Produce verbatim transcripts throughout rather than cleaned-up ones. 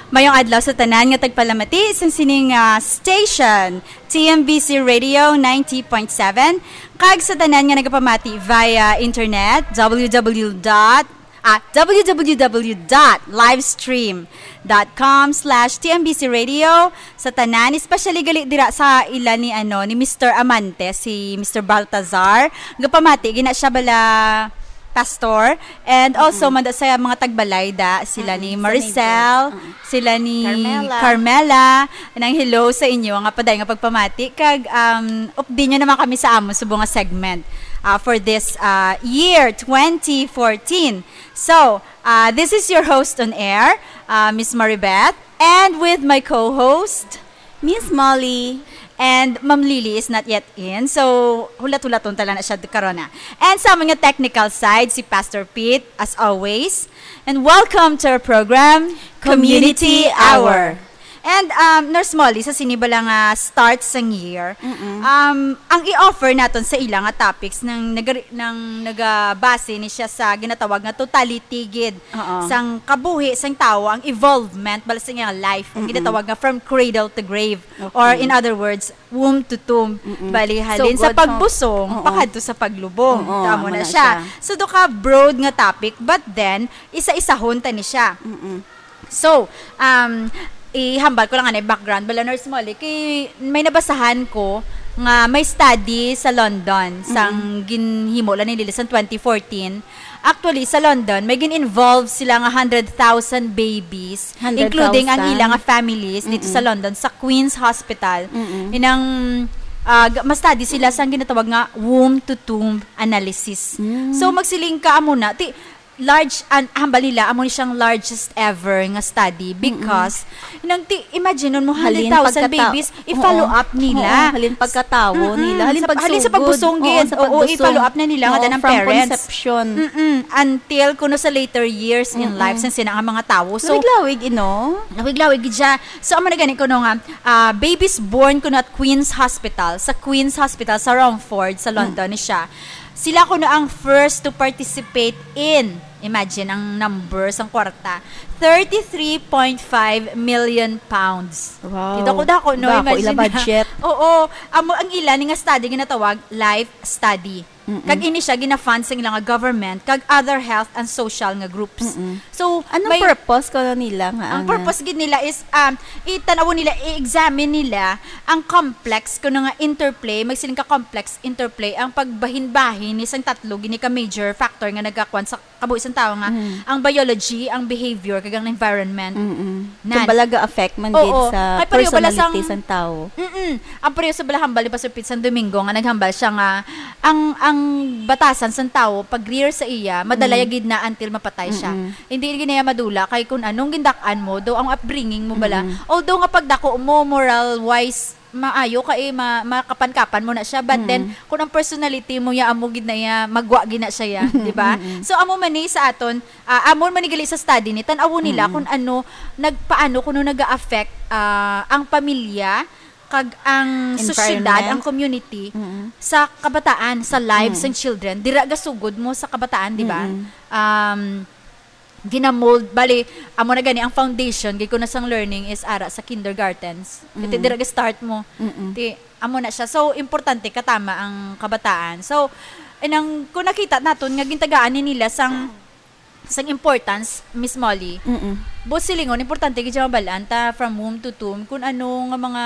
Mayong adlaw sa tanan nga tagpalamati sa sining, ah, station, T M B C Radio ninety point seven, kag sa tanan nga nagapamati via internet, W W W dot, ah, W W W dot livestream dot com slash T M B C Radio, sa tanan, especially gali dira sa ila ni, ano, ni Mister Amante, si Mister Baltazar. Gapamati gina siya bala, Pastor, and also Mm-mm. manda sa mga tagbalay da, sila Mm-mm. ni Sa Maricel, neighbors. Mm. Sila ni Carmela. Carmela. Nang hello sa inyo nga paday nga pagpamati, kag, um, update nyo naman kami sa amon subong nga segment, ah, for this, ah, year twenty fourteen. So, ah, this is your host on air, ah, Miss Maribeth, and with my co-host, Miss Molly. And Ma'am Lily is not yet in, so hulat-hulaton tala na siya karon na. And sa amon nga technical side, si Pastor Pete, as always. And welcome to our program, Community Community Hour. Hour. And, um, Nurse Molly, sa sini bala nga start sang year, Mm-mm. um, ang i-offer naton sa ila nga topics nang naga-, nang nagabase ni siya sa ginatawag nga totality gid Oo. sang kabuhi sang tawo, ang evolvement bala sa iyang life, ang Mm-mm. ginatawag nga from cradle to grave, Okay. or in other words, womb to tomb. Mm-mm. Bali, So halin sa good, pagbusong, oo. pakadto sa paglubong. Oo, Tamo amo na na siya. siya. So, do ka broad nga topic, but then, isa-isahon ta ni siya. Mm-mm. So, um, ihambal ko lang anay background, bala, Nurse Molly, kay may nabasahan ko nga may study sa London, sang Mm-mm. ginhimo lang nila sa twenty fourteen. Actually, sa London, may gin-involve sila nga hundred thousand babies, Hundred thousand. including ang ila nga families dito sa Mm-mm. London, sa Queen's Hospital. Mm-mm. Inang, ah, g-, ma-study sila sa ginatawag nga womb-to-tomb analysis. Mm. So, magsiling ka, amo na, ti-, large, an-, hambal nila, amo ni siyang largest ever nga study Mm-mm. because, inang ti-, imagine mo, Halin hundred thousand pagkatao. babies, i-follow Oo. up nila. Oo, halin pagkatawo Mm-mm. nila. Halin Sa, halin sa pagsugod. pagbusong Oo, gid. sa Oo, pagbusong. i-follow up na nila nga Oo, danang from parents. conception. Mm-mm. Until kuno sa later years in Mm-mm. life, sa sina nga mga tawo. So, Lawig-lawig, ino? lawig-lawig gid siya. So, amo na gani kuno nga, ah, babies born kuno at Queen's Hospital, sa Queen's Hospital sa Romford, sa Mm. London ni siya. Sila kuno ang first to participate in, imagine ang number sang kwarta, thirty-three point five million pounds. Wow. Kita ko dako, no? Dako, Imagine ila na. budget. Oo. Amo ang ila ni nga study ginatawag life study. Mm-mm. Kag ini siya gina-fund sang ila nga government kag other health and social nga groups. Mm-mm. So, Anong may purpose ko nila nga ang ana? purpose gid nila is, um, itanaw nila, i-examine nila ang complex kuno nga interplay, magsiling ka complex interplay ang pagbahinbahin ni sang tatlo gini ka major factor nga nagakwan sa kabuhi sang tawo nga Mm. ang biology, ang behavior, kag ang environment. Mm-mm. Nan. Itong bala ga-affect man Oo. gid sa Kay pareho bala personality sang sang tawo. Mm-mm. Ang pareho sa bala hambal ni Pastor Pete sang Domingo nga naghambal siya nga ang, ang batasan sang tawo pag-rear sa iya, madala Mm. ya gid na until mapatay siya. Mm-mm. Hindi gid na ya madula kay kun anong gindak-an mo, daw ang upbringing mo bala. Mm-mm. Although nga pagdako mo moral wise, maayo kay ma-, makapankapan mo na siya, but Mm. then kung ang personality mo ya amo gid na ya, magwa gid na siya ya, di ba? Mm-mm. So amo man ni sa aton, ah, amo man ni gali sa study ni, tan-awon nila Mm-mm. kung ano, nagpaano kuno naga-affect, ah, ang pamilya kag ang sosyedad, Environment. ang community Mm-mm. sa kabataan, sa lives Mm. and children. Dira gasugod mo sa kabataan, di ba? Mm-mm. Um, ginamold, bali, amo na gani ang foundation gid ko na sang learning is ara sa kindergartens. Kay Mm. dira ga-start mo. Mm-mm. Ti, amo na siya. So, importante katama ang kabataan. So, inang, kung nakita naton nga gintagaan ni nila sang, sang importance, Miss Molly, Mm-mm. buot silingon, importante gid siya mabalaan ta from womb to tomb kung ano nga mga,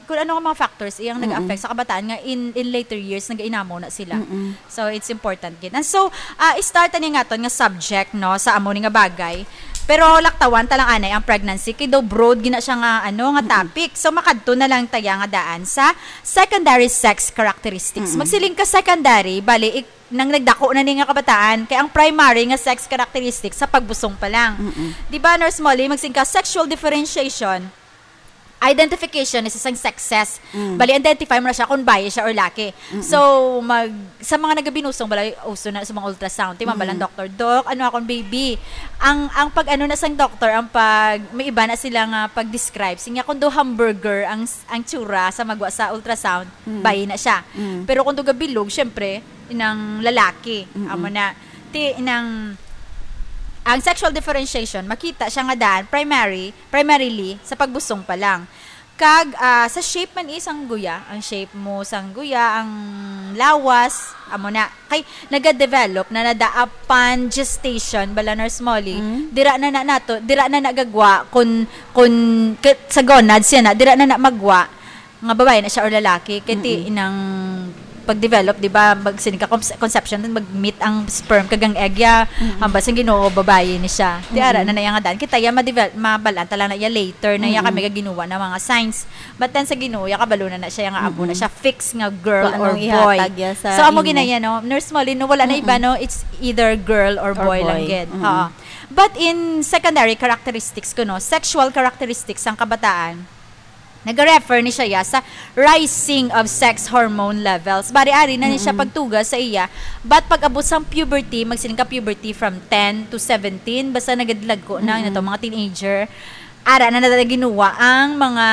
kung ano nga mga factors iyang Mm-mm. nag-affect sa kabataan nga in, in later years, nagainamo na sila. Mm-mm. So, it's important gid. And so, ah, i-start ani nga aton nga subject, no, sa amo ni nga bagay. Pero laktawan ta lang anay ang pregnancy, kay daw broad gina siya nga, ano, nga Mm-mm. topic. So, makadto na lang taya nga daan sa secondary sex characteristics. Mm-mm. Magsiling ka secondary, bali, ik-, nang nagdako na ni nga kabataan, kay ang primary nga sex characteristics sa pagbusong pa lang. Mm-mm. Di ba, Nurse Molly, magsiling ka sexual differentiation, identification is isang sexes. Mm. Bali, identify mo na siya kung bayi siya or laki. Mm-mm. So, mag, sa mga nagabinusong, bali, uso na sa mga ultrasound. Ti, Mm. mabal ang doctor, "Doc, ano akong baby?" Ang, ang pag ano na sang doctor, ang pag, may iba na sila nga pag-describe. Sinya, kung do hamburger ang, ang tsura sa magwa sa ultrasound, Mm. bayi na siya. Mm. Pero kung do gabilog, syempre, inang lalaki. Mm-mm. Amo na. Ti, inang Ang sexual differentiation, makita siya nga daan primary, primarily sa pagbusong pa lang. Kag, ah, sa shape man isang guya, ang shape mo sang guya, ang lawas, amo na. Kay nagadevelop na na da upon gestation, bala, Nurse Molly. Mm. Dira na na nato, dira na nagagwa kun, kun, k-, sa gonads yan na, dira na na magwa nga babae na siya or lalaki. Kay ti Mm-mm. inang pag-develop, di ba, mag, sini ka cons-, conception, mag-meet ang sperm kag ang egg, ya, Mm-mm. hambal sang Ginoo, babae ni siya. Ti ara Mm-mm. na na iya nga daan. Kita ya, madevel-, mabalaan ta lang na iya later na iya Mm-mm. kami gaginuwa na mga signs. But then sa Ginoo, ya kabalo na na siya, ya nga abo na Mm-mm. siya fix nga girl Kung or anong boy. Ihatag ya sa So, amo imo. ginaya, no? Nurse Molly, no, wala na Mm-mm. iba, no? It's either girl or Or boy lang boy. gid. Mm-mm. Oo. But in secondary characteristics ko, no, sexual characteristics sang kabataan, nag-refer ni siya ya sa rising of sex hormone levels. Bari ari na ni siya Mm-mm. pagtuga sa iya. But pag abot sang puberty, magsiling ka puberty from ten to seventeen, basta nagadlagko na, Mm-mm. nato mga teenager, ara na nato ginuwa ang mga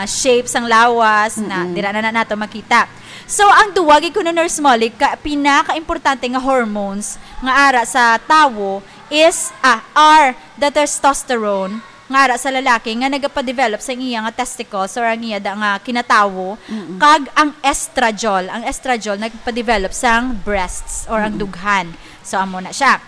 shapes sang lawas na Mm-mm. dira na, na nato makita. So, ang duwa gid kuno, Nurse Molly, ka, pinaka-importante nga hormones nga ara sa tawo is, ah, are the testosterone, nga ara sa lalaki nga nagapadevelop sa iya nga testicles or ang iya da nga kinatawo, Mm-mm. kag ang estradiol. Ang estradiol nagpadevelop sang breasts or ang Mm-mm. dughan. So, amo na siya.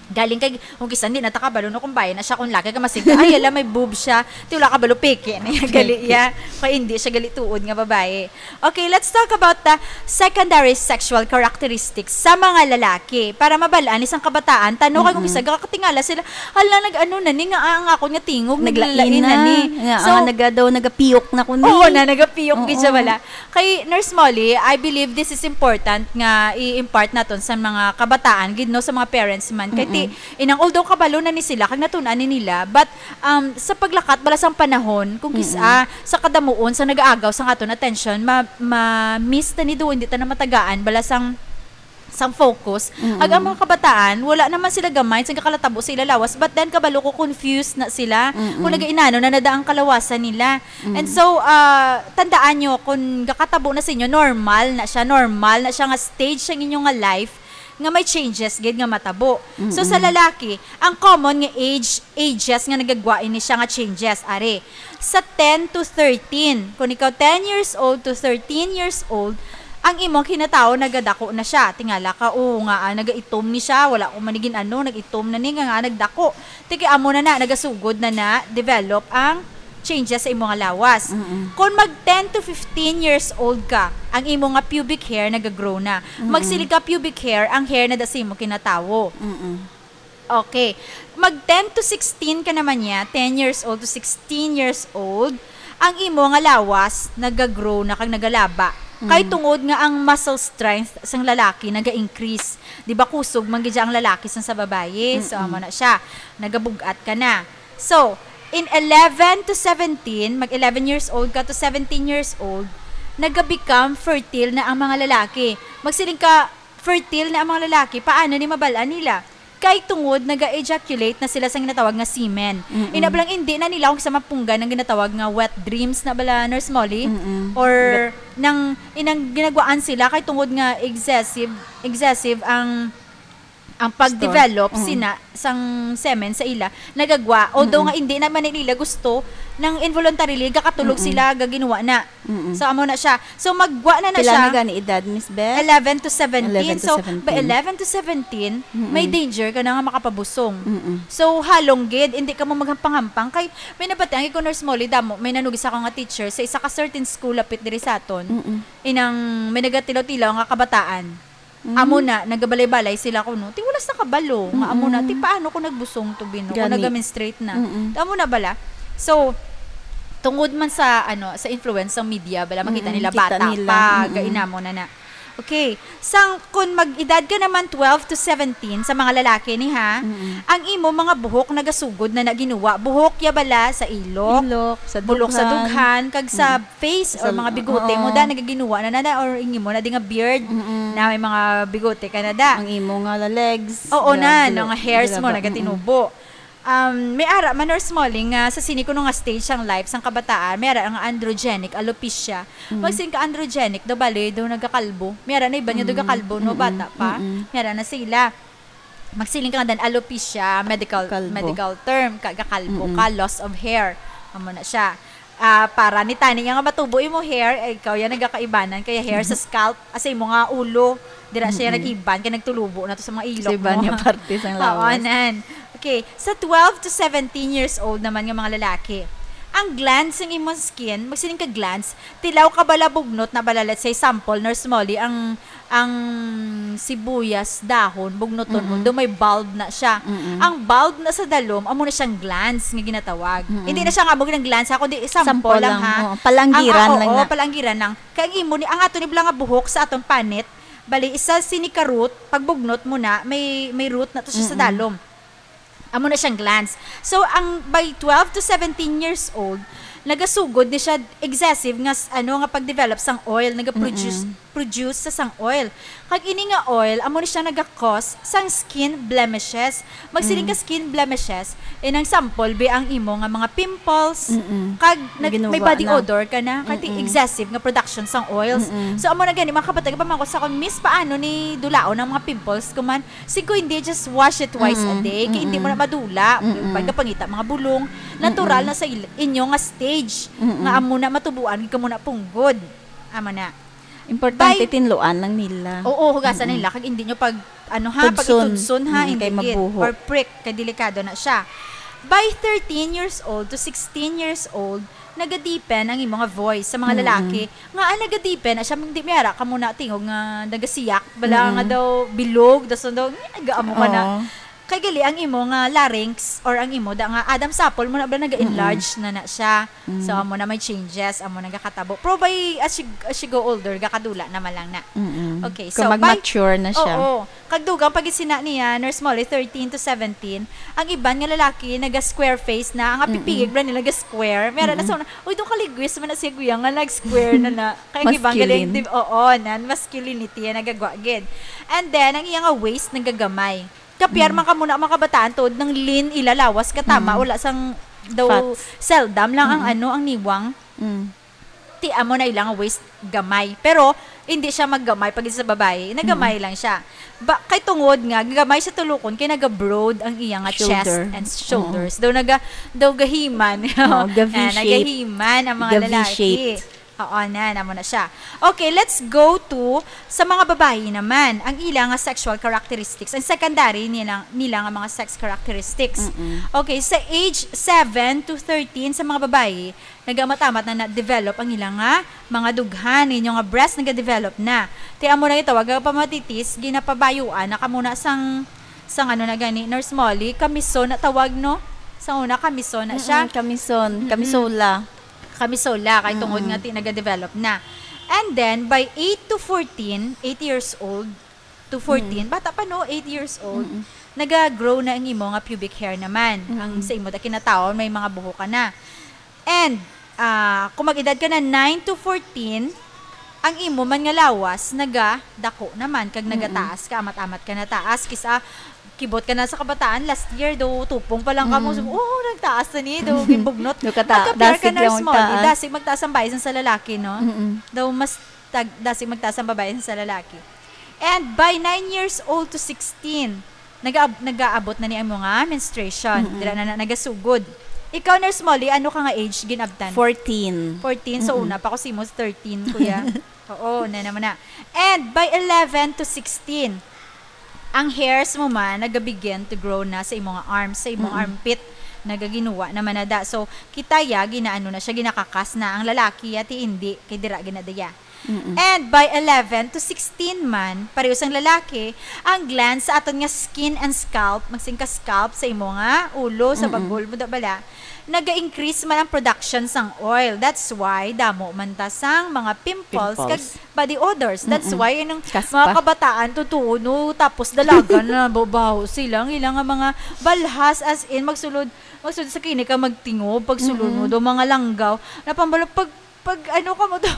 Galing kay, kung kisan di na ta kabalo, no, kung bayi na siya, kung laki ka, masig ka, "Ay, ala, may boob siya." Ti wala kabalo, peke na iya, gali Peke. iya. Kay hindi siya gali tuod nga babae. Okay, let's talk about the secondary sexual characteristics sa mga lalaki. Para mabal-an ni sang kabataan, tano kay kung Mm-mm. isa gakatingala sila, "Hala, nag-ano na ni nga ang akon nga tingog, Naglain naglain na na. ni." Nga, So, ah, naga-, daw nagapiyok na ko ni. Oo na, nagapiyok gid siya Oo. wala. Kay Nurse Molly, I believe this is important nga i-impart naton sa mga kabataan gid, no, sa mga parents man. Kay ti, Mm-mm. inang although kabalo na ni sila kag natun-an ni nila, but, um, sa paglakat bala sang panahon, kung kis-a, Mm-mm. sa kadamuon sa nagaagaw sang aton attention, ma-, ma-miss ta ni do, hindi ta na matagaan bala sang, sang focus. Mm-mm. Ag ang mga kabataan, wala naman sila gamay sa gakalatabo sa ila lawas, but then kabalo ko confused na sila Mm-mm. kung nagainano na nada ang kalawasan nila. Mm. And so, ah, tandaan nyo, kung gakatabo na sa inyo, normal na siya, normal na siya nga stage sa inyo nga life nga may changes gid nga matabo. So, sa Mm-mm. lalaki, ang common nga age, ages nga nagagwa ini siya nga changes, are. Sa ten to thirteen, kung ikaw ten years old to thirteen years old, ang imong kinatawo nagadako na siya. Tingala ka, "O, nga, ah, nagaitom ni siya, wala ko man ni gin-ano, nag-itom na ni, nga, nga nagdako." Ti kay amo na na, nagasugod na na, develop ang changes sa imo nga lawas. Mm-mm. Kung mag ten to fifteen years old ka, ang imo nga pubic hair nagagrow na. Mm-mm. Magsiling ka pubic hair, ang hair na da sa imo kinatawo. Mm-mm. Okay. Mag ten to sixteen ka naman niya, ten years old to sixteen years old, ang imo nga lawas nagagrow na kag nagalaba. Kay Mm. tungod nga ang muscle strength sang lalaki naga-increase. Di ba kusog man gid siya ang lalaki sang sa babayi? So, Mm-mm. amo na siya. Nagabug-at ka na. So, in eleven to seventeen, mag eleven years old ka to seventeen years old, naga-become fertile na ang mga lalaki. Magsiling ka, fertile na ang mga lalaki, paano ni mabal-an nila? Kay tungod naga-ejaculate na sila sa ginatawag nga semen. Mm-mm. Ina bala, hindi na nila kung sa mapunggan ang ginatawag nga wet dreams na bala, Nurse Molly? Mm-mm. Or Wet- nang inang ginagwaan sila kay tungod nga excessive, excessive ang, ang pag-develop Store. Mm. sina sang semen sa ila, nagagwa. Although Mm-mm. nga hindi naman nila gusto, nang involuntarily, gakatulog Mm-mm. sila, gaginuwa na. Mm-mm. So, amo na siya. So, maggwa na na Pila siya. na gani edad, Miss Beth? Eleven to seventeen. Eleven to So, seventeen. by eleven to seventeen, Mm-mm. may danger ka na nga makapabusong. Mm-mm. So, halong gid, hindi ka mo maghampang-hampang. Kay, may nabatian ko, Nurse Molly, damo, may nanugis ako nga teacher sa isa ka certain school lapit diri sa aton. Mm-mm. Inang may nagatilaw-tilaw nga kabataan. Mm. Amo na, nagabalay-balay sila kuno. Ti wala sa kabalo, nga amo na, Mm-mm. ti paano ko nagbusong to, bino? Kung Gani. naga-menstruate na. Mm-mm. Amo na bala. So, tungod man sa, ano, sa influence ng media, bala, makita Mm-mm, nila kita bata nila. pa, Mm-mm. gainamo na na. Okay. Sang, kung mag-edad ka naman twelve to seventeen, sa mga lalaki ni, ha, Mm-mm. ang imo mga buhok nagasugod na naginuwa. Buhok ya bala sa ilok, Ilok, sa bulok sa dughan. dughan, kag sa Mm. face or Sa mga bigote mo, oo. da, nagaginuwa na na, na, or ingi mo na di nga beard, Mm-mm. na may mga bigote ka na da. Ang imo nga la-, legs, Oo na, grabe, no, nga hairs mo, grabe, nagatinubo. Um, may ara man, Nurse Molly, nga sa sini kuno nga stage sang life sang kabataan, may ara nga androgenic alopecia. Mm. Magsin ka androgenic, daw bali, daw nagakalbo. May ara na iban nga daw Mm, gakalbo, no, mm-mm, bata pa. mm-mm. May ara na sila. magsiling ka nga dan alopecia, medical, Kalbo. medical term, ka, gakalbo Mm-mm. ka, loss of hair. Amo na siya. Ah, para ni tani nga matubo imo hair, ay ikaw yan nagakaibanan, kaya hair sa scalp, asa imo nga ulo, dira siya Mm-mm. nag-iban, kaya nagtulubo na to sa mga ilok Sa iban mo. nga parte sang Oo, lawas. nan. Okay, sa twelve to seventeen years old naman nga mga lalaki, ang glands sang imong skin, magsiling ka glands, tilaw ka bala, bugnot na bala, let's say, sample, Nurse Molly, ang, ang sibuyas dahon, bugnoton mo, Mm-mm. do may bulb na siya. Mm-mm. Ang bulb na sa dalom, amo na siyang glands nga ginatawag. Mm-mm. Hindi na siya nga amo ng glands, ha, kundi sample Sample lang, lang, ha. oo. Palanggiran Ang, ah, lang oo, na. palanggiran lang. Kaya ang imo ni, ang ato ni bala nga buhok sa atong panit, bali, isa sini ka root, pag bugnot mo na, may, may root na to siya sa Mm-mm. dalom. Amo na siyang glands. So, ang by twelve to seventeen years old, nagasugod ni siya excessive nga s-, ano, nga pag-develop sang oil, nagaproduce, Mm-mm. produce sa sang oil. Kag ini nga oil, amo ni siya naga-cause sang skin blemishes. Magsiling Mm. ka skin blemishes, eh, nang sample, be, ang imo nga mga pimples, Mm-mm. kag nag-, may Ginuwa body na. odor ka na, kag Mm-mm. excessive nga production sang oils. Mm-mm. So, amo na gani, mga kabataan, pamangkot sa akon, Miss, paano ni dulaon ang mga pimples? Kuman, Sigo hindi, just wash it twice a Mm-mm, day. Kay hindi mo mm-mm. na madula. Mm-mm. Pag kapangita, mga bulong, natural Mm-mm. na sa il-, inyo nga stage. Mm-mm. Nga amo na matubuan, gid kamo na punggod. Amo na. Importante, By tinluan lang nila. Oo, hugasan Mm-mm. nila. Kag hindi nyo pag, ano ha, Tudson. pagitudson ha, Mm, hindi kay gid. mabuho. Or prick, kay delikado na siya. By thirteen years old to sixteen years old, nagadipen ang imo nga voice sa mga Mm-mm. lalaki. Nga, ah, nagadipen na siya, hindi may ara ka muna tingog nga nagasiyak. Bala nga Mm-mm. daw bilog, daw sundo, nga, gaamo ka na. Oo. Kay gali ang imo nga larynx or ang imo da nga Adam's apple mo na ba nag-enlarge Mm-mm. na na siya. Mm. So, amo na may changes, amo nagakatabo. Pero by, as you, as you go older, gakadula naman lang na. Mm-mm. Okay, Kung so, by mag-mature na siya. Oo. Kag dugang pag sina niya, Nurse Molly, thirteen to seventeen, ang iban nga lalaki naga-square face na, ang Mm-mm. apipigig bala nila naga-square. May ara na Mm-mm. sa una, "Uy, daw kaligwis man na siya, guya, nga nag-square na na." Kay ang iban Masculine. galing, di-, oo, nan masculinity, yan, nagagwa gid. And then, ang iya nga waist, nagagamay. Kapiar Mm. man ka muna, mga kabataan, tuod nang lean ila lawas, katama, Mm. wala sang daw Fats. seldom lang ang Mm-mm. ano, ang niwang. Mm. Ti amo na ilang waist gamay. Pero, hindi siya maggamay pag sa babae. Nagamay Mm. lang siya. Ba, kay tungod nga, gamay siya tulukon, kay naga-broad ang iya nga chest Shoulder. and shoulders. Oo. Daw naga-, daw gahiman. Oo, ga-V Ah, shape. nagahiman ang mga Ga-V lalaki. shape. Oo, na, namo na siya. Okay, let's go to sa mga babayi naman. Ang ila nga sexual characteristics, ang secondary nila, nila nga mga sex characteristics. Mm-mm. Okay, sa age seven to thirteen sa mga babayi, nagamat-amat na na-develop ang ila nga mga dughan. Inyo nga breast nagadevelop na. Ti amo na gitawag nga pamatitis, ginapabayuan na kamo na sang, sang ano na gani, Nurse Molly, kamison na tawag, no? Sa una, kamison na siya. Mm-mm, kamison. Mm-mm. Kamisola. Kamisola, kay tungod Mm-mm. nga ti nagadevelop na. And then, by eight to fourteen, eight years old to fourteen, Mm. bata pa, no? Eight years old, Mm-mm. naga-grow na ang imo nga pubic hair naman. Mm-mm. Ang sa imo, da kinataon, may mga buhok ka na. And, ah, kung mag-edad ka na nine to fourteen, ang imo man nga lawas nagadako naman, kag Mm-mm. nagataas ka, amat-amat ka na taas, kis-a kibot ka na sa kabataan, last year, daw tupong pa lang kamo. Mm. So, "Oh, nagtaas na ni," daw, gibugnot. Daw kata-, Magkapiar ka, dasig lang Nurse Molly, magtaas. dasig magtaas ang bayi sa lalaki, no? Mm-mm. Daw mas tag-, dasig magtaas ang babae sa lalaki. And by nine years old to sixteen, nagaab-, nagaabot na ni ang mga menstruation. Mm-mm. Dira na, na nagasugod. Ikaw, Nurse Molly, ano ka nga age ginabtan? Fourteen. Fourteen, so Mm-mm. una pa ko si mo thirteen, kuya. Oo, na naman na. And by eleven to sixteen, ang hairs mo man nagabegin to grow na sa imong arms, sa imong Mm-mm. armpit, nagaginuwa naman na da. So, kita ya, ginaano na siya, ginakakas na. Ang lalaki, yati hindi, kay dira ginadaya. Mm-mm. And by eleven to sixteen man, pareho sang lalaki, ang glands sa aton nga skin and scalp, magsing ka scalp sa imo nga ulo, sa Mm-mm. bagol mo, da bala, naga-increase man ang production sang oil. That's why damo man ta sang mga pimples, Pimples. kag body odors. That's Mm-mm. why anong Kaspa. mga kabataan, totoo, no, tapos dalaga na, babaho sila, ang ilang nga mga balhas, as in, magsulod, magsulod sa klinika, magtingob, pagsulod mo, Mm-mm. do mga langgaw, napambalo, pag Pag ano ka mo to?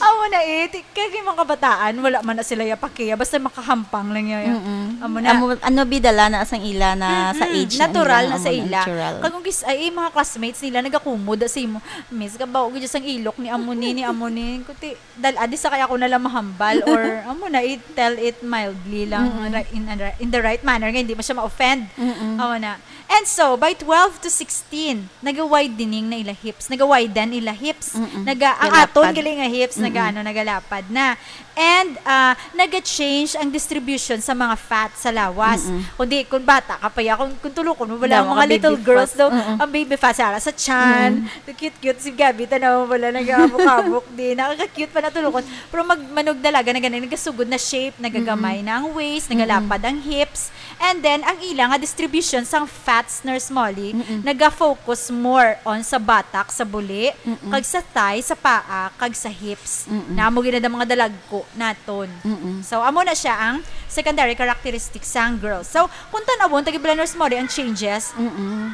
Amo na eh, ti-, kay mga kabataan, wala man na sila ya pakiya, basta makahampang lang ya. Mm-mm. Amo na. Amo, ano, bidala na sang ila na sa Mm-mm. age na Natural nila, na sa amo na, ila. Natural. Kag kung gis-, ay, mga classmates nila, nagakumod sa imo, "Miss, kabaw gid sang ilok ni amo ni, ni amo ni." Kuti, dal-, adi sa kaya ko na lang mahambal or, amo na, i-tell it mildly lang, Mm-mm. ri-, in, in, in the right manner, nga hindi mo siya ma-offend. Mm-mm. Amo na. And so, by twelve to sixteen, naga-widening na ila hips. Naga-widen ila hips. Mm-mm. Naga-, ang Galapad. aton gali nga hips, Mm-mm. naga-, ano, nagalapad na. And, ah, naga-change ang distribution sa mga fat sa lawas. Mm-mm. Kundi, kung bata ka pa ya, kung, kung tulukon mo, wala Daw ang mga mga little baby girls fat. daw, Mm-mm. ang baby fat sa, sa tiyan. Mm. Cute-cute si Gabby, tanaw mo, wala, nag-aabok-abok din. Nakaka-cute pa na tulukon. Pero mag-, manog dalaga na ganun, nagasugod na shape, nagagamay Mm-mm. na ang waist, Mm-mm. nagalapad ang hips. And then, ang ila nga distribution sang fats, Nurse Molly, Mm-mm. naga-focus more on sa batak, sa buli, Mm-mm. kag sa thigh, sa paa, kag sa hips. Mm-mm. Na amo gid na mga dalagko naton. Mm-mm. So, amo na siya ang secondary characteristics sang girls. So, kung tan-awon, tagi bala, Nurse Molly, ang changes, Mm-mm.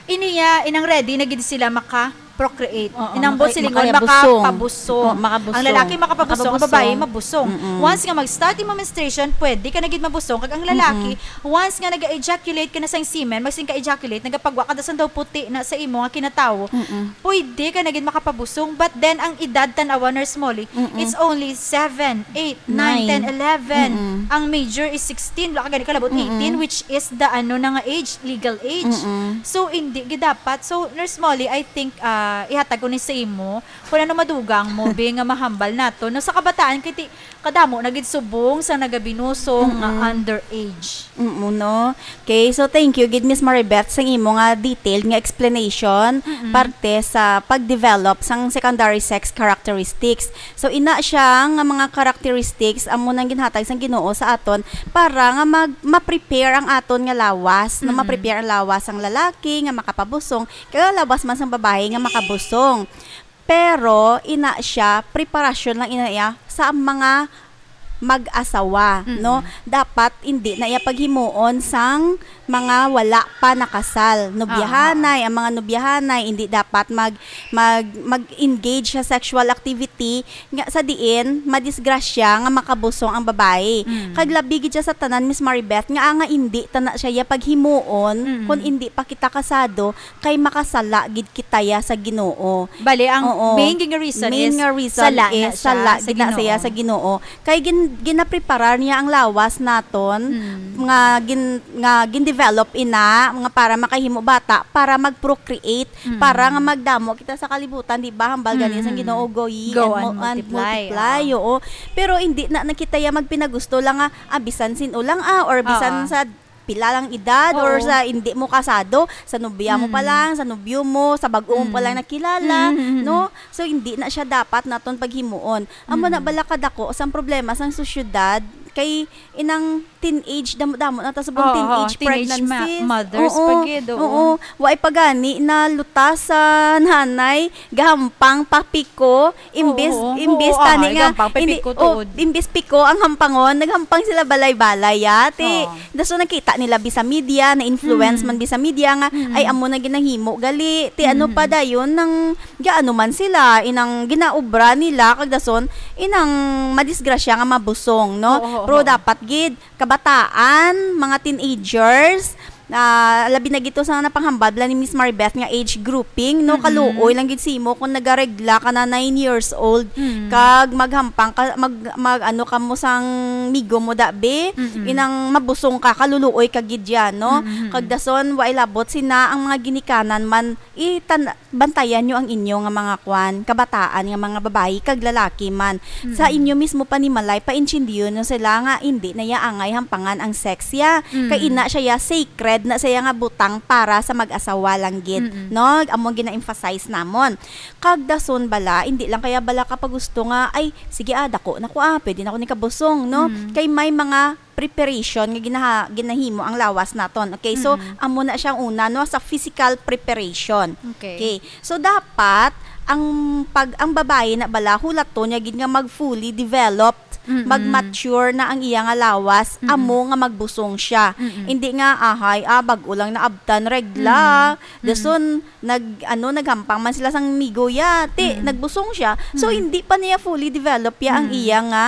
iniya, inang ready na gid sila maka-procreate. Oo, Inang maka-, buot silingon, makabusong. makapabusong. Oo, makabusong. Ang lalaki makapabusong, ang Makabusong. babae mabusong. Mm-mm. Once nga mag-start imo menstruation, pwede ka na gid mabusong. Kag ang lalaki, Mm-mm. once nga nag-ejaculate ka na sang semen, magsin ka ejaculate, nagapagwa ka, dasan daw puti na sa imo nga kinatawo, Mm-mm. pwede ka na gid makapabusong. But then, ang edad tan-awa, Nurse Molly, Mm-mm. it's only seven, eight, nine, Nine. ten, eleven. Mm-mm. Ang major is sixteen, wala ka gani kalabot Mm-mm. eighteen, which is the, ano na nga age, legal age. Mm-mm. So, hindi gid dapat. So, Nurse Molly, I think, ah, ihatag ko ni sa imo, kung ano madugang mo, be, nga mahambal nato. No, sa kabataan, kay ti-, kadamo na gid subong sa nagabinusong nga Mm-mm. underage. Mm, no? Okay, so thank you gid, Miss Maribeth, sa imo nga detailed nga explanation Mm-mm. parte sa pag-develop sang secondary sex characteristics. So, ina siya nga mga characteristics amo nang ginhatag sang Ginoo sa aton para nga mag-, ma-prepare ang aton nga lawas, no? Mm-mm. Ma-prepare ang lawas sang lalaki nga makapabusong, kag ang lawas man sang babayi nga makabusong. Pero ina siya, preparasyon lang ina iya sa mga mag-asawa, Mm-mm. no? Dapat hindi na iya paghimuon sang mga wala pa nakasal. Nobyahanay, Ah. ang mga nobyahanay, hindi dapat mag-, mag-, mag-engage sa sexual activity nga sa diin madisgrasya nga makabusong ang babayi. Mm. Kag labi gid siya sa tanan, Miss Maribeth, nga, ah, nga hindi ta na siya iya paghimuon Mm. kung hindi pa kita kasado, kay makasala gid kita ya sa Ginoo. Bali, ang Oo. main nga reason Main is nga reason sala na is siya sala sa gid na siya Ginoo. sa Ginoo. Kay gin-, ginapreparar niya ang lawas naton Mm. nga gin-, nga gin-develop ina nga para makahimo bata, para mag-procreate, Mm. para nga magdamo kita sa kalibutan, di ba? Hambal gani sang Mm. Ginoo, "Go ye Go and and mu-, and multiply, multiply." oo. Oo. Pero hindi na, na kita ya magpinagusto lang nga, ah, bisan sin-o lang, ah, or bisan Oo. sa pila lang edad or Oo. sa hindi mo kasado, sa nobya mo pa Mm. lang, sa nobyo mo, sa bag-o mo pa Mm. lang nakilala, Mm, mm, mm. no? So, hindi na siya dapat naton paghimuon. Amo na Mm. bala kadako sang problema sang sosyedad, kay inang teenage, damo-damo na ta subong Oo, teenage teenage ma-, pregnancies. mothers Oo, pa gid, oo. oo. Wa pa gani na lutas sa nanay, gahampang pa piko, imbis, Oo, imbis oo, tani ay, nga, gampang, hindi, pipiko oh, tuod. imbis piko ang hampangon, naghampang sila balay-balay, ya. Ti, Oo. daso nakita nila bi sa media, na-influence Mm. man bi sa media nga, Mm. ay, amo na ginahimo, gali. Ti, ano Mm. pa dayon, nang, gaano man sila, inang ginaobra nila, kag dason, inang madisgrasya nga mabusong, no? Oo, oo, Pero oo. dapat gid, kabataan, mga teenagers, ah, labi na gito sa napanghambal bala ni Miss Maribeth nga age grouping, no? Mm-mm. Kaluoy lang gid simo kung nagaregla ka na nine years old, Mm. kag maghampang ka, mag, mag, ano ka mo sang migo mo, dabi, Mm-mm. inang mabusong ka, kaluluoy ka gid yan, no? Mm-mm. Kag dason, wa ilabot sina ang mga ginikanan man, itan-, bantayan nyo ang inyo nga mga kwan, kabataan nga mga babayi kag lalaki man. Sa Mm. inyo mismo panimalay, paintindiyon nyo sila nga hindi na ya angay hampangan ang sex ya. Mm. Kay ina siya ya, sacred na siya nga butang para sa mag-asawa lang gid, Mm-mm. no? Amo ang gina-emphasize namon. Kag dason bala, hindi lang kaya bala ka pagusto nga, "Ay, sige ah, dako na ko ah, pwede na ko ni kabusong," no? Mm. Kay may mga preparation nga ginaha-, ginahimo ang lawas naton. Okay, so, Mm-mm. amo na siya ang una, no, sa physical preparation. Okay. Okay. So, dapat ang pag-, ang babayi na bala, hulaton niya gid nga mag-fully developed, Mm-mm. mag-mature na ang iya nga lawas, Mm-mm. amo nga magbusong siya. Mm-mm. Hindi nga, ahay, ah, bag-o lang naabtan regla. Mm-mm. Dason, nag-, ano, naghampang man sila sang migo ya. Ti, Mm-mm. nagbusong siya. So, Mm-mm. hindi pa niya fully develop ya ang Mm. iya nga,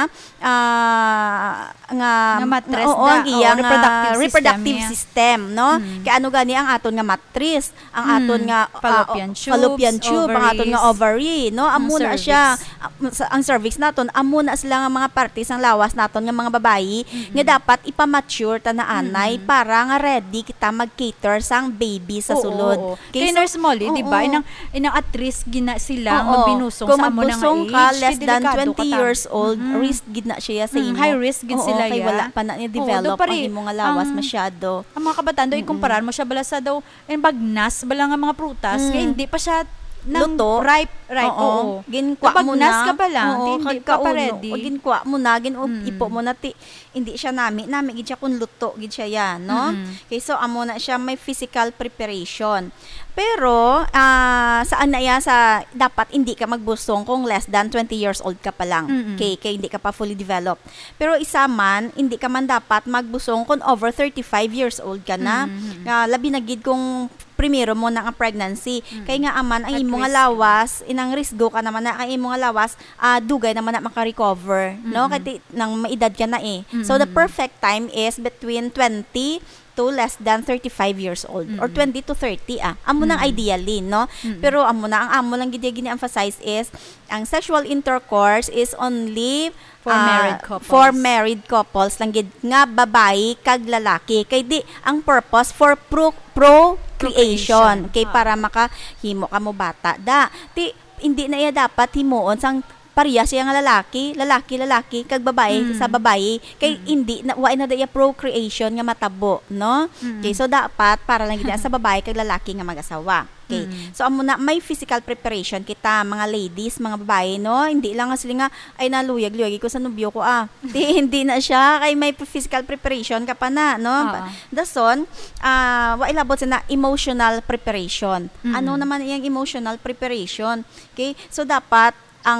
ah, nga, Nga matres oo, na, ang iya oo, nga reproductive system reproductive niya. system, no? Mm. Kay ano gani ang aton nga matris, ang Mm. aton nga, ah, Fallopian o-, tubes, fallopian tube, ang aton nga ovaries, ovary, no? ang Amo na siya. cervix. Ah, sa, ang cervix naton, amo na sila nga mga parte sang lawas naton nga mga babayi Mm-mm. nga dapat ipa-mature ta na anay Mm-mm. para nga ready kita mag-cater sang baby sa Oo, sulod. oo. Okay, Kay so, Nurse Molly, di ba, oo. inang, inang at risk gina sila nga Oo. binusong Kung sa amo na nga magbusong ka, age, less than delikado twenty ka ta. years old, Mm-mm. risk gid na siya sa Mm, imo. high risk gid Oo, sila, kay ya. wala pa na ni Oo, develop daw pare, ang imo nga lawas ang, masyado. ang mga kabataan daw, Mm-mm. ikumparar mo siya bala sa daw, yung bagnas bala nga mga prutas, nga Mm. hindi pa siya nang Luto. ripe, ripe, Oo. oo. Ginkwa mo Pag bagnas na. ka pa lang, Oo, hindi kag pa pa kauno. ready. O, ginkwa mo na, gin-, Mm. ipo mo na, ti-, hindi siya nami, nami gid siya kung luto gid siya yan, no? Mm-mm. Okay, so amo na siya may physical preparation. Pero, ah, saan na iya sa dapat hindi ka magbusong kung less than twenty years old ka pa lang? Mm-mm. Okay, kay hindi ka pa fully developed. Pero isa man, hindi ka man dapat magbusong kung over thirty-five years old ka na. Mm-mm. Nga labi na gid kung primero mo na ang pregnancy. Mm-mm. Kay nga aman ang At imo nga risk. lawas, inang risgo ka naman na ang imo nga lawas, ah, dugay naman na maka-recover, no? Mm-mm. Kay ti-, nang maedad ka na eh. So, the Mm-mm. perfect time is between twenty to less than thirty-five years old, or Mm-mm. twenty to thirty, ah. Amo nang Mm-mm. ideally, no? Mm-mm. Pero amo na, ang amo lang gid gini-emphasize is, ang sexual intercourse is only, For ah, married couples. for married couples lang gid nga babayi kag lalaki. Kay di, ang purpose for pro-, procreation. Procreation. Kay Ah. para makahimo ka mo bata. Da, ti, hindi na iya dapat himuon sang pareha siya nga lalaki, lalaki, lalaki, kag babayi Mm. sa babayi. Kay Mm. hindi na, wa na da iya procreation nga matabo, no? Mm. Okay, so dapat para lang gid sa babayi kag lalaki nga mag-asawa. Okay. Mm. So, amo na, may physical preparation kita, mga ladies, mga babayi, no? Hindi lang nga sila nga, "Ay, naluyag-luyag ko sa nobyo ko, ah." Di, hindi na siya. Kay may physical preparation ka pa na, no? Oo. Dason, ah, wa ilabot sina emotional preparation. Ano Mm. naman iyang emotional preparation? Okay? So, dapat ang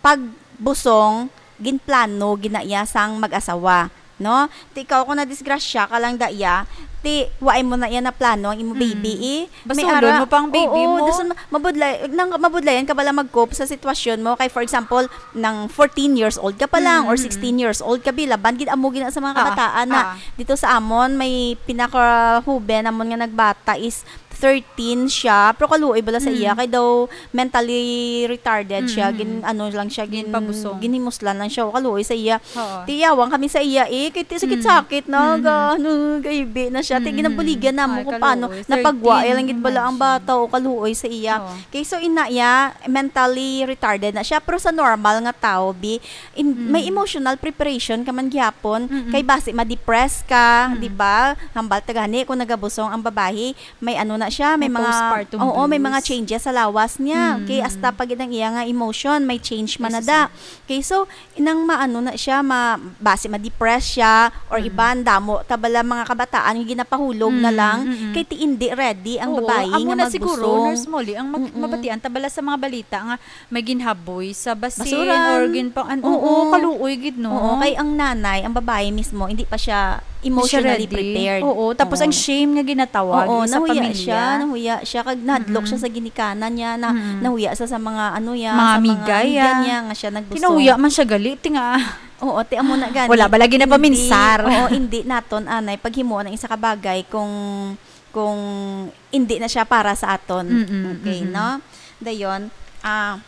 pagbusong, ginplano, ginaiya sang mag-asawa, no? Ti ikaw, kung nadisgrasya ka lang daiya, ti wa mo na iya na plano ang imo Mm. baby, eh. May Basulon ara-, mo pa ang baby oo, mo. Dason ma-, mabudlay, nang, mabudlayan ka bala mag-cope sa sitwasyon mo. Kay, for example, nang fourteen years old ka pa lang Mm, or mm, mm. sixteen years old ka, bi, laban gid amo gina sa mga Ah, kabataan na ah. dito sa amon, may pinakahuben amon nga nagbata is thirteen siya, pero kaluoy bala sa iya, Mm. kay daw mentally retarded siya, Mm, mm. gin-, ano lang siya, gin-, Ginpabusong. ginhimuslan lang siya, o kaluoy sa iya. Oo. Tiyawang kami sa iya, eh, kay ti-, Mm. sakit-sakit na, Mm, mm. ga-, ano, gaibi na siya. Ti Mm, mm. ginabuligan namo Ay, kung paano, kaluoy. napagwa, Thirteen, lang gid bala ang imagine. bata, o kaluoy sa iya. Oo. Kay so, ina iya, mentally retarded na siya, pero sa normal nga tao, bi, in-, may Mm. emotional preparation ka man gihapon, Mm, mm. kay basi ma-depress ka, Mm. di ba? Hambal ta gani kung nagabusong ang babayi, may ano na siya, may May mga, postpartum oo, may mga blues. changes sa lawas niya. Mm. Okay, hasta pa gid ang iya nga emotion, may change man na Yes, da. yes. Okay, so, nang maano na siya, ma-, basi ma-depress siya, or Mm. iban, damo, ta bala mga kabataan, nga ginapahulog na Mm, lang, mm, mm. kay ti hindi ready ang Oo, babayi amo nga na siguro, magbusong. Nurse Molly, ang mag-, Mm, mm. mabatian, ta bala sa mga balita nga may ginhaboy sa basin Basuran. or ginpang-, an-, Oo. oo, kaluoy gid, no? Oo, kay ang nanay, ang babayi mismo, hindi pa siya Hindi siya emotionally ready. prepared. Oo, tapos Oo. ang shame nga ginatawag Oo, sa nahuya pamilya. siya, nahuya siya, kag nahadlok Mm-mm. siya sa ginikanan niya, na, Mm-mm. nahuya siya sa mga, ano, ya, Mga sa mga amiga, amiga ya. niya nga siya nagbusong. Kinahuya man siya gali, ti nga. Oo, ti amo na gani. Wala ba lagi na Hindi, paminsar? oo, hindi naton, anay, paghimuon ang isa ka bagay kung, kung hindi na siya para sa aton. Mm-mm, Okay, mm-mm. no? Dayon, ah,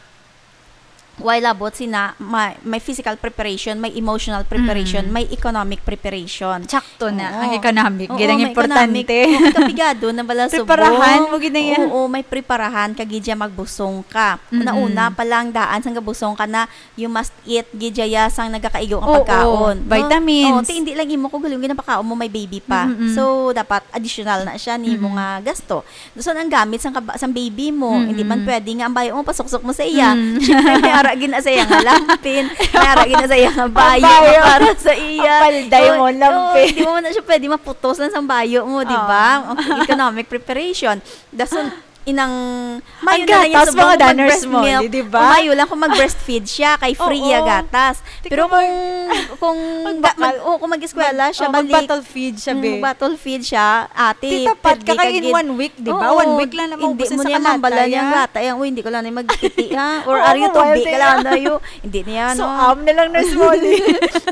Way labot sina, ma-, may physical preparation, may emotional preparation, Mm. may economic preparation. Sakto na, Oo. ang economic, Oo, gid ang may importante. economic. Oo, may kapigado na bala subong. Preparahan mo gid na yan. Oo, may preparahan ka gid siya magbusong ka. Mm-mm. Una-una pa lang daan sang gabusong ka na, you must eat gid siya sang nagakaigo nga Oo, pagkaon, no? vitamins. Oo, ti hindi lang imo kung galing ginapakaon mo, may baby pa. Mm-mm. So, dapat additional na siya ni Mm-mm. mga gasto. Dason ang gamit sang kaba-, sang baby mo, Mm-mm. hindi man pwede nga ang bayo mo pasuksok mo sa iya. Mm. Siyempre, may ara Agi na sa iya nga lampin, may ara gid na sa iya nga bayo, bayo. Para sa iya. Ang palday mo, oo, lampin. Oo, hindi mo na siya pwede maputos lang sa bayo mo, di ba? Oo. Ang economic preparation. Dason, inang, mayo na lang niya gatas, subong mga kung daners mag-breast mo, milk. Di ba? O mayo lang kung mag-breastfeed siya, kay free iya gatas. Oo. Pero kung, kung mag-, oo, kung mag-eskwela siya, balik. Mag-bottle feed siya, be. Mm, mag-bottle feed siya, ate, pwede ka gid. Titapat ka kay in one week, di ba? Oo, one week lang na maubos sa kalata, ya. Hindi mo niya mambala niyang bata, yang, "Uy, hindi ko lang na mag-iti, ha?" Or, "Are you too big?" Kailangan na yu-, hindi niya, no? So, am na lang, Nurse Molly.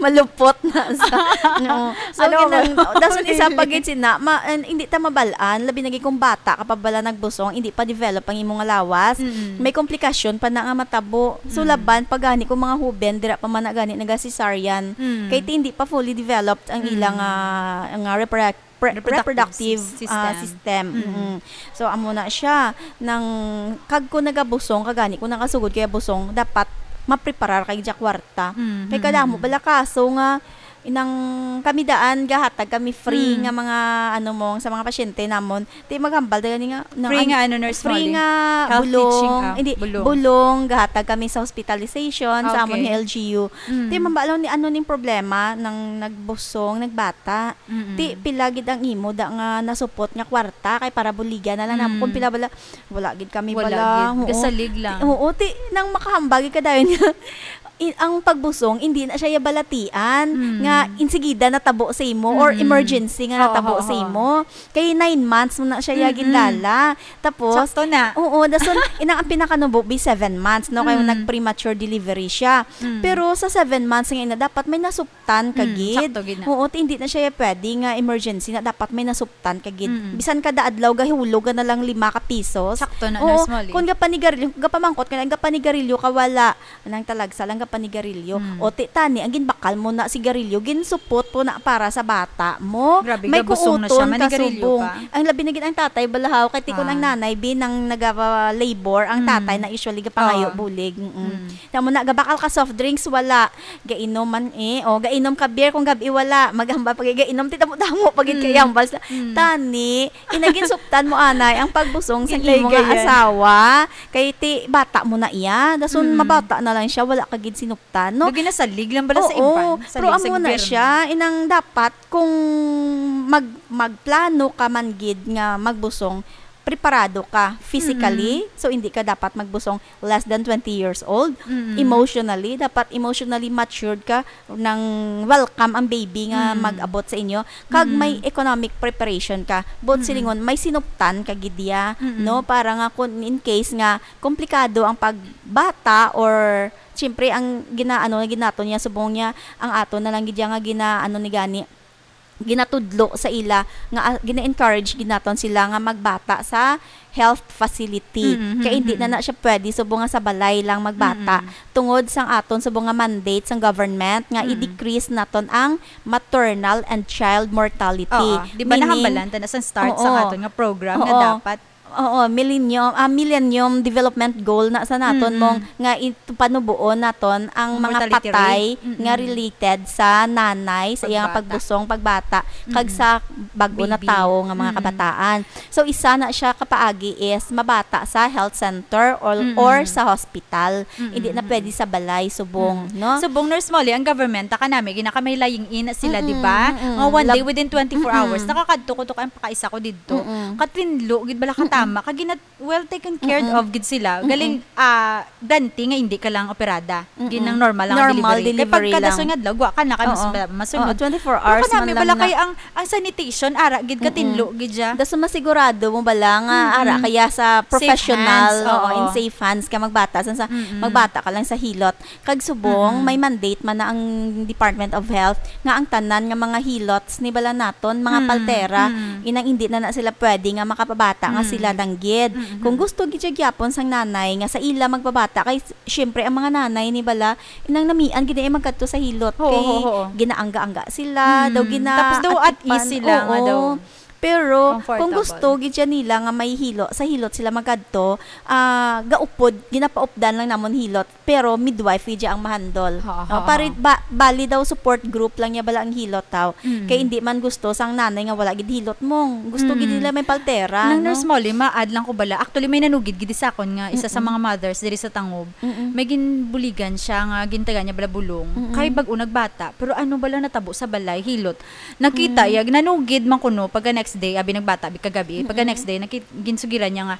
Malupot na sa, no. So, ano, ginang-, dason isa pa gid sina, ma-, an-, hindi ta mabal-an, labi na gid kung bata ka pa bala nagbusong, hindi pa develop ang imo nga lawas. Mm. May komplikasyon pa na nga matabo. So, mm, laban pa gani kung mga huben, dira pa man na gani naga-cesarean. Mm. Kay ti hindi pa fully developed ang, mm, ilang, ah, nga repro-, pre-, reproductive, reproductive sys-, ah, system. System. Mm. Mm-mm. So, amo na siya. Nang, kag kung nagabusong ka gani, kung nakasugod kaya busong, dapat mapreparar kay dya kwarta. Mm, mm, mm. Kay kadamo bala kaso nga, inang kami daan, gahatag kami free, mm, nga mga, ano mo, sa mga pasyente namon. Ti maghambal daw gani nga, nang free an-, nga ano, Nurse Molly? Free nga bulong. Health teaching, ah, hindi, bulong. Bulong, gahatag kami sa hospitalization, sa amon nga L G U. Ah, okay. Mm. Ti mambalaw ni ano ning problema, nang nagbusong, nagbata. Mm-mm. Ti, pila gid ang imo da nga nasupot nga kwarta kay para buligan na lang namo. Mm. Kung pila bala, wala gid kami bala. Wala gid. Oo. Gasalig lang. Ti, oo, ti, nang makahambal gid ka dayon nga, i-, ang pagbusong, hindi na siya ya balatian, mm, nga insigida natabo sa imo or, mm-mm, emergency nga natabo sa imo. Oo, oo, oo. Kay nine months mo na siya ya, mm-mm, gindala. Tapos, sakto na. Oo, dason, inang ang pinakanubo, be seven months, no? Kay, mm, nag-premature delivery siya. Mm. Pero sa seven months nga ina, dapat may nasup-, tan ka gid. Mm, sakto gid na. Oo, ti hindi na siya pwede nga emergency na dapat may nasuptan ka gid. Mm. Bisan kada adlaw gahulog ka na lang lima ka pisos. Sakto na, oo, Nurse Molly. Kung gapanigarilyo, gapamangkot ka na, gapanigarilyo ka, wala. Nang talagsa lang gapanigarilyo. Mm. O ti tani, ang ginbakal mo na sigarilyo, ginsupot mo na para sa bata mo. Grabe, gabusong na siya, manigarilyo pa. May kuuton ka subong. Ang labi na gid ang tatay balahaw, kay ti kun ang nanay, bi, nang naga-labor, ang tatay na usually gapangayo bulig. Ah. Mm-mm. Mm. Tamo na, gabakal ka soft drinks, wala. Gainom man eh. O, gainom ka beer kung gab-i, wala. Maghambal pa gid, gainom ti damo-damo pa gid kay hambal sa tani. Inaginsuptan mo anay ang pagbusong sa imo nga asawa. Kay ti bata mo na iya. Dason mabata na lang siya, wala ka gid sinuptan, no? Lagi na salig lang bala sa iban. Oo. Pero amo na siya, inang dapat kung mag-, magplano ka man gid nga magbusong, preparado ka physically, so hindi ka dapat magbusong less than twenty years old. Mm. Emotionally, dapat emotionally matured ka, nang welcome ang baby nga mag-abot sa inyo. Kag may economic preparation ka. Buot silingon, may sinuptan ka gid ya, no? Para nga kung in case nga komplikado ang pagbata or siyempre ang ginaano, ginaton niya, subong niya, ang aton na lang gid ya nga ginaano ni gani, ginatudlo sa ila nga, ah, gina-encourage gid naton sila nga magbata sa health facility. Mm, mm, mm. Kay hindi na na siya pwede subong nga sa balay lang magbata. Mm. Tungod sang aton subong nga mandate sang government nga i-decrease naton ang maternal and child mortality. Oo. Di ba nahambalan ta na sa start sa aton nga program nga dapat Oo, millennium, ah, Millennium Development Goal na sa naton mong nga it-, panubuon naton ang mga patay nga related sa nanay, sa iyang pagbusong, pagbata, kag sa bag-o na tawo nga mga kabataan. So, isa na siya kapaagi is mabata sa health center or, or sa hospital. Hindi na pwede sa balay, subong, no? Subong, Nurse Molly, ang government, ta kanami, ginakamay lying-in na sila, di ba? Nga one day, within twenty-four hours, nakakadto ko to, kay ang pakaisa ko didto. Katinlo gid bala katama, kag gina-, well taken care of gid sila. Galing, ah, ganti nga hindi ka lang operada. Ginang normal lang ang delivery. Kay pagka dason nga adlaw, wa ka na kay mas masunod. Oo, twenty-four hours man lang na. Pero kanami bala kay ang, ang sanitation, ara gid, katinlo gid siya. Dason masigurado mo bala nga ara kaya sa professional, oo, in safe hands ka magbata. San sa magbata ka lang sa hilot. Kag subong, may mandate man na ang Department of Health nga ang tanan nga mga hilots ni bala naton, mga paltera, inang hindi na na sila pwede nga makapabata nga sila lang gid. Kung gusto gid siya gyapon sang nanay nga sa ila magpabata, kay s-, syempre ang mga nanay ni bala, inang namian gid ay magkadto sa hilot, kay ginaangga-angga sila, daw gina-, tapos daw at ease sila nga daw. Pero kung Comfortable. gusto gid siya nila nga may hilot, sa hilot sila magadto, ah, gaupod, ginapaupdan lang namon hilot, pero midwife gid siya ang mahandol. Ha, No, ha, pare, ha. ba, bali daw support group lang niya bala ang hilot daw. Mm. Kay hindi man gusto sang nanay nga wala gid hilot mo. Gusto gid Mm. nila may paltera, Nang no? Nurse Molly, ma-add lang ko bala. Actually, may nanugid gid sa akon nga isa sa Mm-mm. mga mothers diri sa Tangob. Mm-mm. May ginbuligan siya nga gintagaan niya bala bulong. Mm-mm. Kay bag-o nagbata, pero ano bala natabo sa balay, hilot. Nakita Mm. iya, nanugid man kuno pagka next day, abi nagbata bi kagabi. Pagka Mm-mm. next day, nakit ginsugiran niya nga,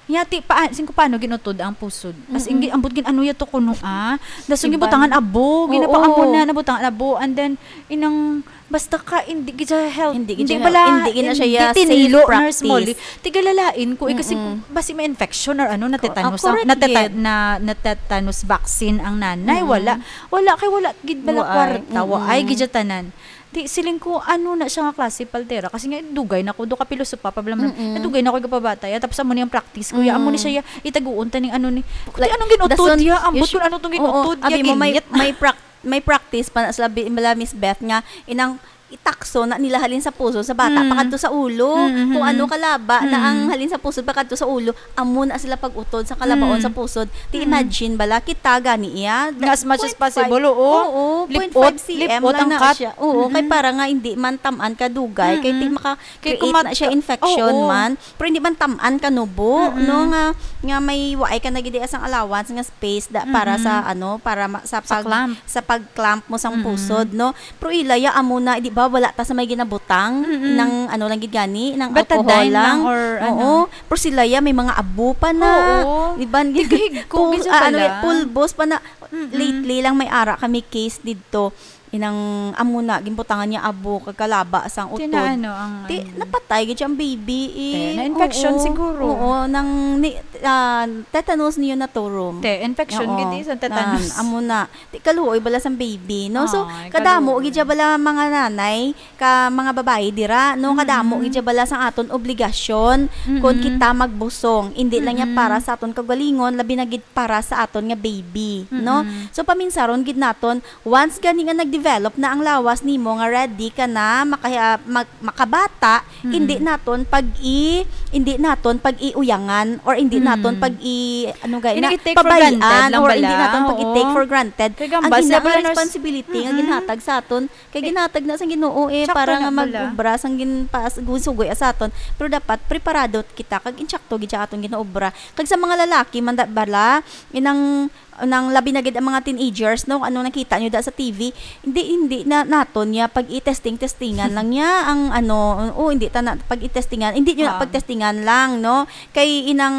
"Yati, pa, singko paano ginutod ang pusod?" As in, Mm-mm. gi-, ambot gin ano yato kuno, ah. Dason Iban. Gibutangan abo, Oo. ginapaamo na, nabutangan abo, and then, inang, basta ka, hindi gid siya health, Hindi gid hindi siya bala, health, hindi gid na siya hindi safe tinilo, Nurse practice. Molly. Tigalalain ko, eh, kasi Mm-mm. basi may infection or ano, Ko-, ah, natetanus, correct nateta-, gid. na, natetanus vaccine ang nanay, Mm-mm. wala. Wala, kay wala gid bala Waay. kwarta, waay Mm-mm. gid siya tanan. Di, siling ko, ano na siya nga klase paltera? Kasi nga, dugay na ko, do ka pilosopa, pa bala man, Mm-mm. nadugay na ko gapabata, ya, tapos amo ni ang practice ko, ya, amo ni Mm. siya, ya, itaguon ta ning ano ni, Like, ano ginutod, dason, ya, ambot usu-, kung ano tong oo, ginutod, ya, abi mo, may, ginyit. may prac-, may practice pa na sila, bi-, bala, Miss Beth, nga inang itakso na nila halin sa puso sa bata Mm. pakadto sa ulo. Mm, mm, Kung ano mm. kalaba na ang Mm. halin sa puso pakadto sa ulo, amo na sila pag-utod sa kalabaon Mm. sa pusod. Ti Mm. imagine bala kita gani iya. Nga as much as Point five. possible, oo. Oo, Lip-ot, point five C M lip-ot lang ang na cut. siya. Oo, kay Mm-mm. para nga hindi man tam-an ka dugay, kay ti Mm-mm. maka-create Kay kumat-, na siya infection oo. man. Pero hindi man tam-an ka nubo, Mm-mm. no, nga, nga may waay ka na gid sang allowance nga space da, para sa, Mm-mm. ano, para ma-, sa Sa pag, clamp. sa pag-clamp mo sang Mm-mm. pusod, no? Pero ila ya amo na, di ba, wala ta sa may ginabutang Mm-mm. ng ano lang gid gani, ng Betadine alcohol lang lang. or Oo. ano. Pero sila ya may mga abo pa na. Oo. Di ba? Tigig ko, Pul-, gid ah, ano, pala. pulbos pa na. Mm-mm. Lately lang may ara kami case didto. Inang amo na, ginbutangan niya abo kag kalaba sang utod. Tinaano ang Ti, ano? Napatay gid ang baby, eh. Te, na-infection Oo, siguro. Oo, nang ni, ah, tetanus neonatorium. Te, infection Oo. gid, eh, sa tetanus. Nan, amo na. Ti, kaluoy bala sang baby, no? So, Ay, kadamo kaluoy. gid siya bala mga nanay, ka mga babayi dira, no? Kadamo Mm-mm. gid siya bala sang aton obligasyon kung Mm-mm. kita magbusong. Hindi lang niya Mm-mm. para sa aton kagalingon, labi na gid para sa aton nga baby, no? Mm-mm. So, paminsaron gid naton, once gani nga nag-develop na ang lawas nimo, nga ready ka na, maka-, mag-, makabata, Mm-mm. hindi naton pag-i-, hindi naton pag-iuyangan or hindi Mm. naton pag-i-, ano gani Hindi na, i-take for pabayaan granted lang or bala. hindi naton pag-i-take Oo. for granted. Kay Ang gambas, ina sila nga pala nurse. Responsibility nga Mm-mm. ginhatag sa aton, kay Eh, ginhatag na sang Ginoo, eh, tsakto para na nga bala. mag-obra sang ginpaas-, ginsugoy sa aton. Pero dapat preparado kita kag intsakto gid sa aton ginaobra. Kag sa mga lalaki man da, bala, inang, nang labi na gid ang mga teenagers, no, ano nakita nyo da sa T V, hindi, hindi na naton niya pag i-testing-testingan lang niya ang ano, o hindi ta na pag i-testingan, hindi nyo na Ah. pagtestingan lang, no? Kay inang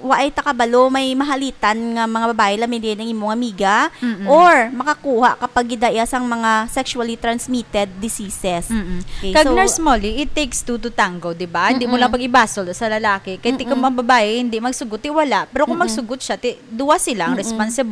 waay ta kabalo, may mahalitan nga mga babae, labi na ang imo nga amiga, Mm-mm. or makakuha ka pag gidaya sang mga sexually transmitted diseases. Mm-mm. Okay, Kag so Nurse Molly, it takes two to tango, di ba? Hindi mo Mm-mm. lang pag-ibasol sa lalaki. Kay ti kung Mm-mm. ang babae, hindi magsugot, ti wala. Pero kung Mm-mm. magsugot siya, ti, duwa sila ang Mm-mm. responsible.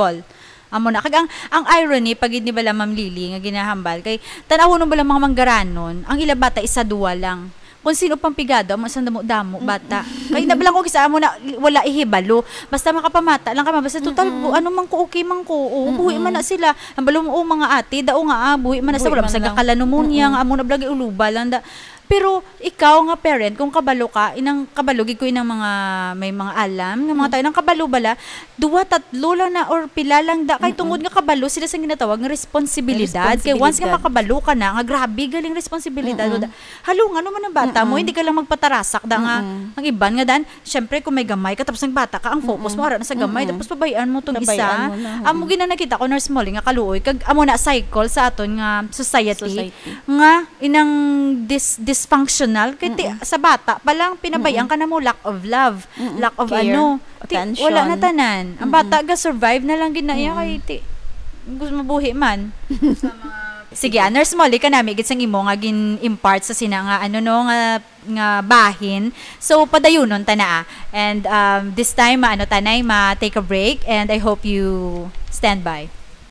Amo na. Kag ang, ang irony, pag ni bala Ma'am Lily nga ginahambal, kay tanawon bala mga manggaranon, ang ila bata isa duwa lang. Kung sino pang pigado, amo sang damo-damo, bata. Kay na bala ko kisa amo na, wala ihibalo. Basta makapamata lang ka, basta total, Mm-mm. ano man ko, okay man ko. O, buhi man na Mm-mm. sila. Ang balo mo, o, mga ate, dao nga, ah, buhi man na sa, Buhi wala man man sa lang. kakalanumonya, Mm-mm. nga amo na bala, uluba lang da. Pero ikaw nga parent, kung kabalo ka, inang kabalo gid ko inang mga, may mga alam, nga mga Mm. tayo, nang kabalo bala, duwa, tatlo lang na, or pila lang da, kay Mm-mm. tungod nga kabalo sila sa ginatawag nga responsibilidad. Kay once nga Responsibilidad. makabalo ka na, nga grabe galing responsibilidad, Mm-mm. wala, halungan mo man ang bata mo, Mm-mm. hindi ka lang magpatarasak da nga, Mm-mm. ang iban nga dan, syempre kung may gamay ka, tapos ang bata ka, ang focus mo, Mm-mm. ara na sa gamay, Mm-mm. tapos pabayaan mo tong isa. Pabayaan mo na, Amo mm. gid ang nakita ko, Nurse Molly, nga kaluoy, kag amo na cycle sa aton nga society, Society. nga inang dis-, dysfunctional, kay ti-, Mm-mm. sa bata pa lang, pinabayaan Mm-mm. ka na mo, lack of love, Mm-mm. lack of Care, ano, ti-, attention. wala na tanan. Ang Mm-mm. bata ga-survive na lang gid na iya, Mm-mm. kay ti-, gusto mabuhi man. Sige, ah, Nurse Molly, kanami gid sang imo nga gin-impart sa sina nga, ano, no, nga, nga bahin. So, padayunon ta na, ah. And, um, this time, ma-, ano, tanay, ma-take a break, and I hope you stand by.